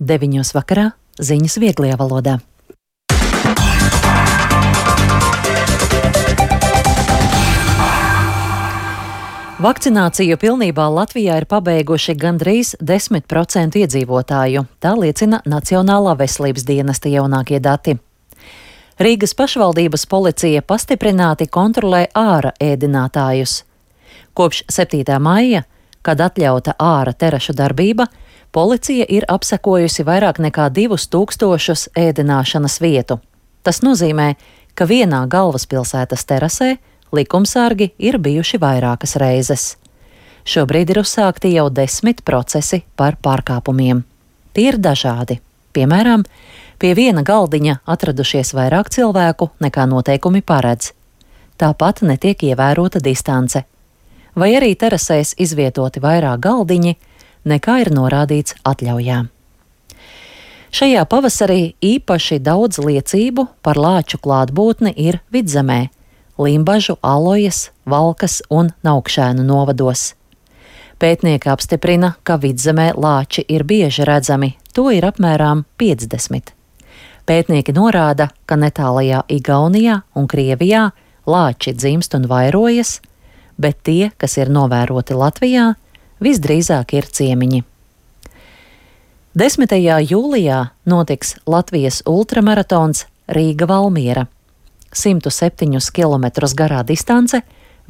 9 vakarā ziņas vieglajā valodā. Vakcināciju pilnībā Latvijā ir pabeiguši gandrīz 10% iedzīvotāju, tā liecina Nacionālā veselības dienesta jaunākie dati. Rīgas pašvaldības policija pastiprināti kontrolē āra ēdinātājus. Kopš 7. maija, kad atļauta āra terašu darbība, policija ir apsekojusi vairāk nekā 2000 ēdināšanas vietu. Tas nozīmē, ka vienā galvaspilsētas terasē likumsargi ir bijuši vairākas reizes. Šobrīd ir uzsākti jau 10 procesi par pārkāpumiem. Tie ir dažādi. Piemēram, pie viena galdiņa atradušies vairāk cilvēku nekā noteikumi paredz. Tāpat netiek ievērota distance. Vai arī terasēs izvietoti vairāk galdiņi, nekā ir norādīts atļaujā. Šajā pavasarī īpaši daudz liecību par lāču klātbūtni ir Vidzemē, Limbažu, Alojas, Valkas un Naukšēnu novados. Pētnieki apstiprina, ka Vidzemē lāči ir bieži redzami, to ir apmēram 50. Pētnieki norāda, ka netālajā Igaunijā un Krievijā lāči dzimst un vairojas, bet tie, kas ir novēroti Latvijā, visdrīzāk ir ciemiņi. 10. jūlijā notiks Latvijas ultramaratons Rīga-Valmiera. 107 km garā distance,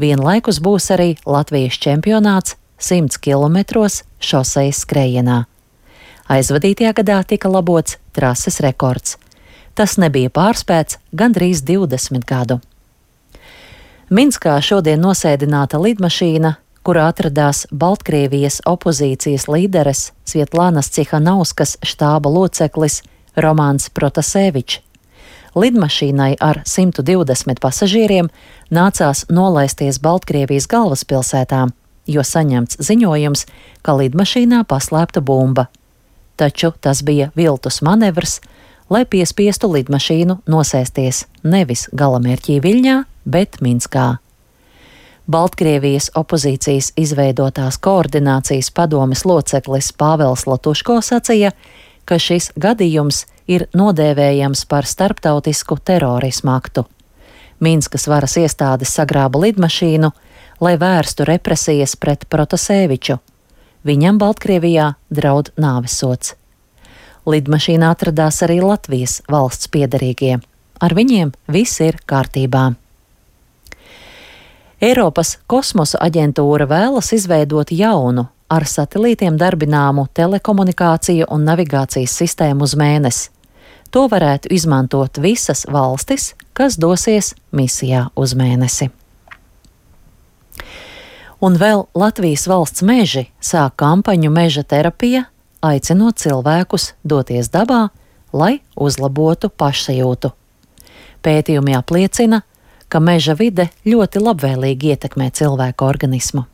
vienlaikus būs arī Latvijas čempionāts 100 km šosejas skrējienā. Aizvadītajā gadā tika labots trases rekords. Tas nebija pārspēts gandrīz 20 gadu. Minskā šodien nosēdināta lidmašīna, kurā atradās Baltkrievijas opozīcijas līderes Svietlanas Cihanovskas štāba loceklis Romāns Protasevičs. Lidmašīnai ar 120 pasažieriem nācās nolaisties Baltkrievijas galvaspilsētā, jo saņemts ziņojums, ka lidmašīnā paslēpta bumba. Taču tas bija viltus manevrs, lai piespiestu lidmašīnu nosēsties nevis galamērķī Viļņā, bet Minskā. Baltkrievijas opozīcijas izveidotās koordinācijas padomes loceklis Pāvels Latuško sacīja, ka šis gadījums ir nodēvējams par starptautisku terorismu aktu. Minskas varas iestādes sagrāba lidmašīnu, lai vērstu represijas pret Protaseviču. Viņam Baltkrievijā draud nāvesods. Lidmašīnā atradās arī Latvijas valsts piederīgie. Ar viņiem viss ir kārtībā. Eiropas kosmosa aģentūra vēlas izveidot jaunu, ar satelītiem darbināmu telekomunikāciju un navigācijas sistēmu uz Mēnesi. To varētu izmantot visas valstis, kas dosies misijā uz Mēnesi. Un vēl Latvijas valsts meži sāk kampaņu Meža terapija, aicinot cilvēkus doties dabā, lai uzlabotu pašsajūtu. Pētījumi apliecina, ka meža vide ļoti labvēlīgi ietekmē cilvēku organismu.